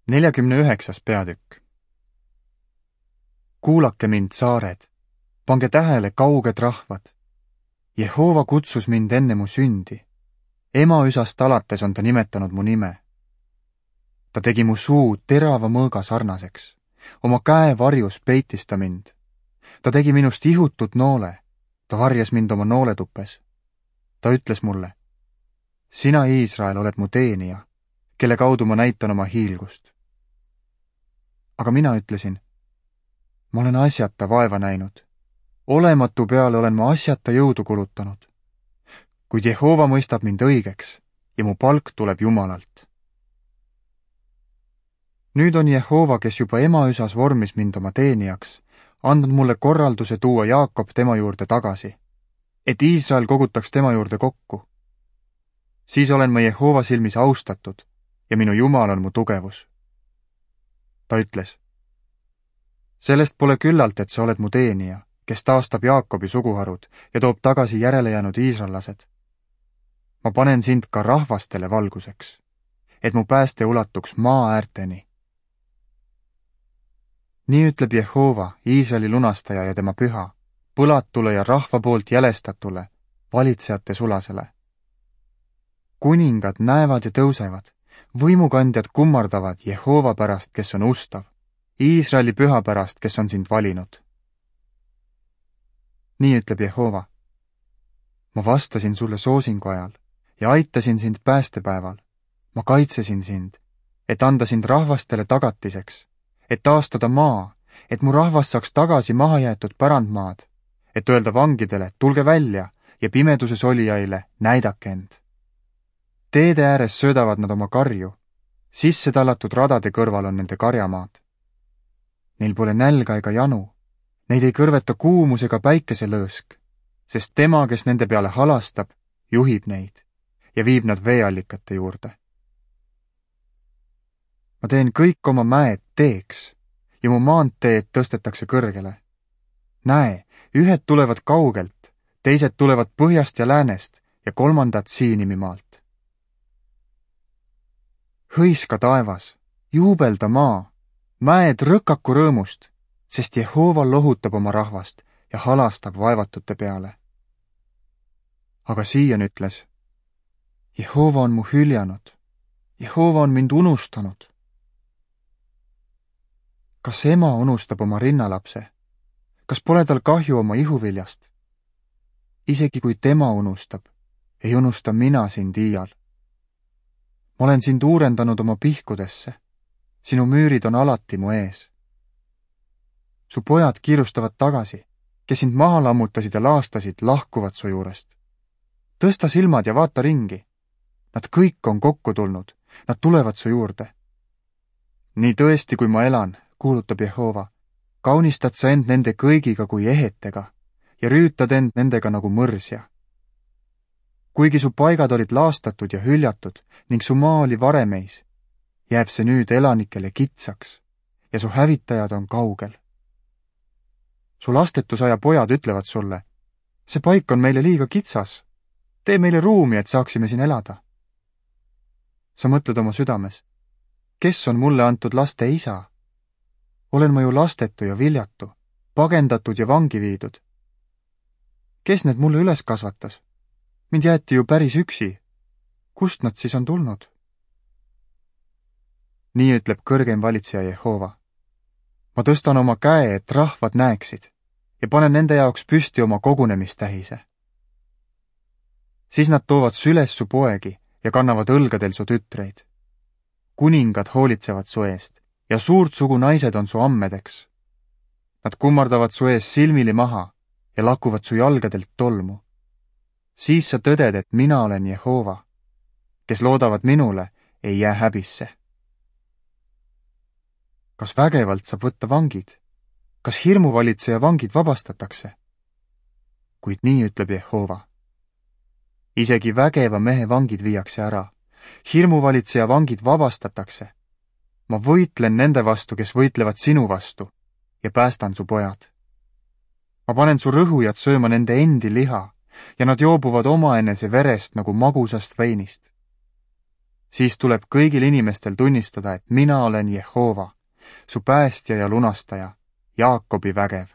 49. peatükk. Kuulake mind, saared, pange tähele, kauged rahvad. Jehova kutsus mind enne mu sündi. Emaüsast alates on ta nimetanud mu nime. Ta tegi mu suu terava mõõga sarnaseks. Oma käe varjus peitis ta mind. Ta tegi minust ihutut noole. Ta varjas mind oma nooletupes. Ta ütles mulle: sina, Iisrael, oled mu teenija, kelle kaudu ma näitan oma hiilgust. Aga mina ütlesin: ma olen asjata vaeva näinud. Olematu peale olen ma asjata jõudu kulutanud. Kuid Jehova mõistab mind õigeks ja mu palk tuleb Jumalalt. Nüüd on Jehova, kes juba emaüsas vormis mind oma teenijaks, andnud mulle korralduse tuua Jaakob tema juurde tagasi, et Iisrael kogutaks tema juurde kokku. Siis olen ma Jehova silmis austatud ja minu Jumal on mu tugevus. Ta ütles: sellest pole küllalt, et sa oled mu teenija, kes taastab Jaakobi suguharud ja toob tagasi järelejäänud iisraellased. Ma panen sind ka rahvastele valguseks, et mu pääste ulatuks maa äärteni. Nii ütleb Jehova, Iisraeli lunastaja ja tema püha, põlatule ja rahva poolt jälestatule, valitsejate sulasele. Kuningad näevad ja tõusevad, võimukandjad kummardavad Jehova pärast, kes on ustav, Iisraeli püha pärast, kes on sind valinud. Nii ütleb Jehova: ma vastasin sulle soosingu ajal ja aitasin sind päästepäeval. Ma kaitsesin sind, et anda sind rahvastele tagatiseks, et taastada maa, et mu rahvas saaks tagasi mahajäetud pärandmaad, et öelda vangidele: tulge välja, ja pimeduses olijaile: näidake end. Teede ääres söödavad nad oma karju, sisse tallatud radade kõrval on nende karjamaad. Neil pole nälga ega janu, neid ei kõrveta kuumus ega päikeselõõsk, sest tema, kes nende peale halastab, juhib neid ja viib nad veeallikate juurde. Ma teen kõik oma mäed teeks ja mu maanteed tõstetakse kõrgele. Näe, ühed tulevad kaugelt, teised tulevad põhjast ja läänest ja kolmandad Siinimimaalt. Hõiska taevas, juubelda maa, mäed rõkaku rõõmust, sest Jehova lohutab oma rahvast ja halastab vaevatute peale. Aga Siion ütles: Jehova on mu hüljanud, Jehova on mind unustanud. Kas ema unustab oma rinnalapse? Kas pole tal kahju oma ihuviljast? Isegi kui tema unustab, ei unusta mina sind iial. Ma olen sind uurendanud oma pihkudesse. Sinu müürid on alati mu ees. Su pojad kiirustavad tagasi, kes sind maha lammutasid ja laastasid, lahkuvad su juurest. Tõsta silmad ja vaata ringi. Nad kõik on kokku tulnud, nad tulevad su juurde. Nii tõesti, kui ma elan, kuulutab Jehova, kaunistad sa end nende kõigiga kui ehetega ja rüütad end nendega nagu mõrsja. Kuigi su paigad olid laastatud ja hüljatud ning su maa oli varemeis, jääb see nüüd elanikele kitsaks ja su hävitajad on kaugel. Su lastetusaja pojad ütlevad sulle: see paik on meile liiga kitsas, tee meile ruumi, et saaksime siin elada. Sa mõtled oma südames: kes on mulle antud laste isa? Olen ma ju lastetu ja viljatu, pagendatud ja vangi viidud. Kes need mulle üles kasvatas? Mind jäeti ju päris üksi. Kust nad siis on tulnud? Nii ütleb kõrgeim valitseja Jehova: ma tõstan oma käe, et rahvad näeksid ja panen nende jaoks püsti oma kogunemistähise. Siis nad toovad süles su poegi ja kannavad õlgadel su tütreid. Kuningad hoolitsevad su eest ja suurt sugu naised on su ammedeks. Nad kummardavad su ees silmili maha ja lakuvad su jalgadelt tolmu. Siis sa tõded, et mina olen Jehova. Kes loodavad minule, ei jää häbisse. Kas vägevalt saab võtta vangid? Kas hirmuvalitseja vangid vabastatakse? Kuid nii ütleb Jehova: isegi vägeva mehe vangid viiakse ära, hirmuvalitseja vangid vabastatakse. Ma võitlen nende vastu, kes võitlevad sinu vastu, ja päästan su pojad. Ma panen su rõhujad sööma nende endi liha ja nad joobuvad omaenese verest nagu magusast veinist. siis tuleb kõigil inimestel tunnistada, et mina olen Jehova, su päästja ja lunastaja, Jaakobi vägev.